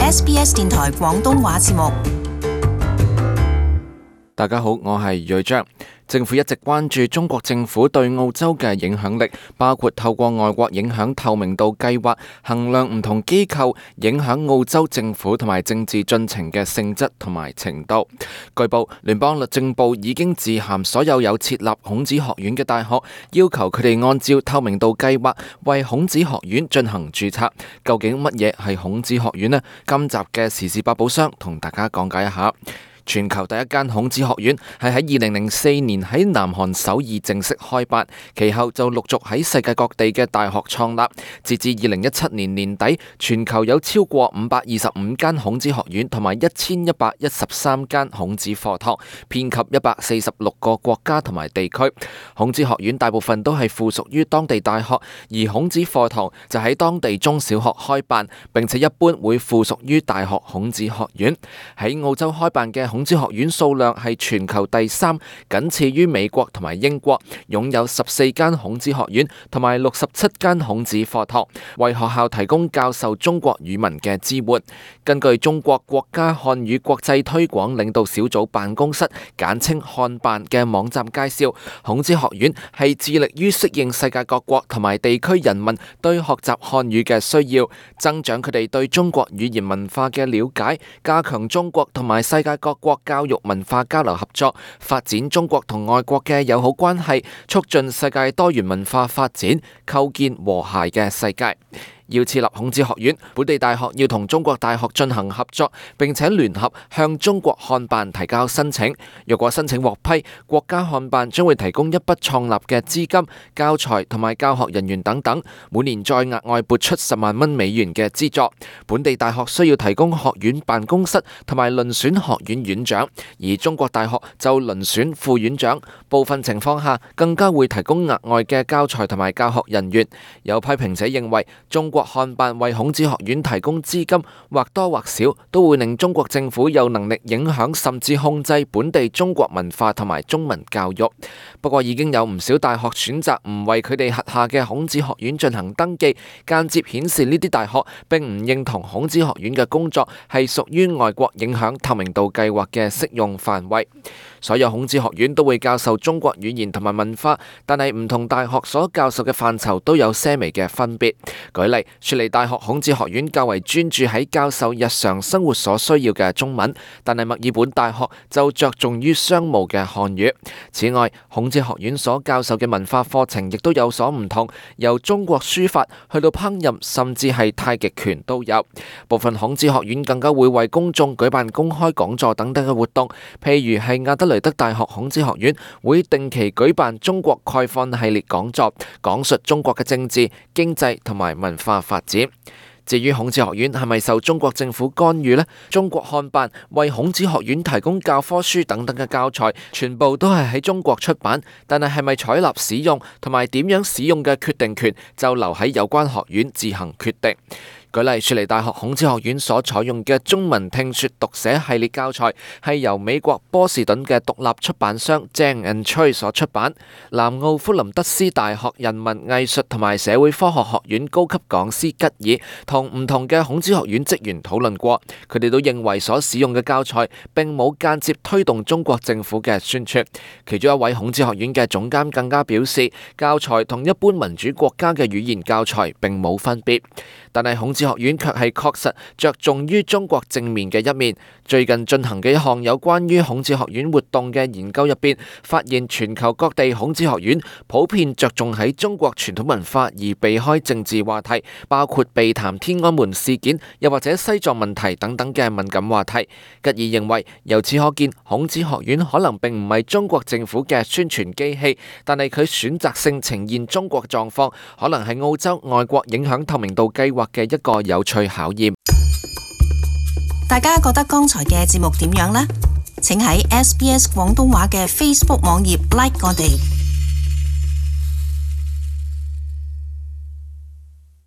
SBS 電台廣東話節目。大家好，我係瑞章。政府一直關注中國政府對澳洲嘅影響力，包括透過外國影響透明度計劃衡量唔同機構影響澳洲政府同埋政治進程嘅性質同埋程度。據報，聯邦律政部已經致函所有設立孔子學院嘅大學，要求佢哋按照透明度計劃為孔子學院進行註冊。究竟乜嘢係孔子學院呢？今集嘅時事百寶箱同大家講解一下。全球第一間孔子學院係喺2004年喺南韓首爾正式開辦，其後就陸續喺世界各地嘅大學創立。截至2017年年底，全球有超過525間孔子學院同埋1113間孔子課堂，遍及146個國家同埋地區。孔子學院大部分都係附屬於當地大學，而孔子課堂就喺當地中小學開辦，並且一般會附屬於大學孔子學院。喺澳洲開辦嘅孔子學院數量係全球第3，僅次於美國同埋英國，擁有14間孔子學院同埋67間孔子課堂，為學校提供教授中國語文嘅支援。根據中國國家漢語國際推廣領導小組辦公室簡稱漢辦嘅網站介紹，孔子學院係致力於適應世界各國同埋地區人民對學習漢語嘅需要，增長佢哋對中國語言文化嘅了解，加強中國同埋世界各國教育文化交流合作，發展中國同外國嘅友好關係，促進世界多元文化發展，構建和諧嘅世界。要設立孔子學院，本地大學要同中國大學進行合作，並且聯合向中國漢辦提交申請。若果申請獲批，國家漢辦將會提供一筆創立嘅資金、教材同埋教學人員等等，每年再額外撥出10萬蚊美元嘅資助。本地大學需要提供學院辦公室同埋遴選學院院長，而中國大學就遴選副院長。部分情況下更加會提供額外嘅教材同埋教學人員。有批評者認為，中國漢辦為孔子學院提供資金，或多或少都會令中國政府有能力影響甚至控制本地中國文化同埋中文教育。不過已經有唔少大學選擇唔為佢哋轄下嘅孔子學院進行登記，間接顯示呢啲大學並唔認同孔子學院嘅工作係屬於外國影響透明度計劃嘅適用範圍。所有孔子學院都會教授中國語言同埋文化，但係唔同大學所教授嘅範疇都有些微嘅分別。舉例，雪梨大學孔子學院較為專注喺教授日常生活所需要嘅中文，但係墨爾本大學就着重於商務嘅漢語。此外，孔子學院所教授嘅文化課程亦都有所唔同，由中國書法去到烹飪，甚至係太極拳都有。部分孔子學院更加會為公眾舉辦公開講座等等嘅活動，譬如係亞德雷德大學孔子學院會定期舉辦中國概況系列講座，講述中國嘅政治、經濟同埋文化發展。至於孔子學院係咪受中國政府干預呢？中國漢辦為孔子學院提供教科書等等嘅教材，全部都係喺中國出版，但係咪採納使用同埋點樣使用嘅決定權，就留喺有關學院自行決定。舉例，雪梨大學孔子學院所採用嘅中文聽說讀寫系列教材係由美國波士頓嘅獨立出版商 Zhang and Trey 所出版。南澳福林德斯大學人文藝術同埋社會科學學院高級講師吉爾同唔同嘅孔子學院職員討論過，佢哋都認為所使用嘅教材並冇間接推動中國政府嘅宣傳。其中一位孔子學院嘅總監更加表示，教材同一般民主國家嘅語言教材並冇分別。但係孔子學院卻係確實着重於中國正面嘅一面。最近進行嘅一項有關於孔子學院活動嘅研究入邊，發現全球各地孔子學院普遍着重喺中國傳統文化而避開政治話題，包括避談天安門事件，又或者西藏問題等等嘅敏感話題。吉爾認為，由此可見，孔子學院可能並唔係中國政府嘅宣傳機器，但係佢選擇性呈現中國狀況，可能係澳洲外國影響透明度計劃嘅一個有趣考驗。大家覺得剛才嘅節目點樣呢？請喺SBS 廣東話嘅 Facebook 網頁 like 我哋。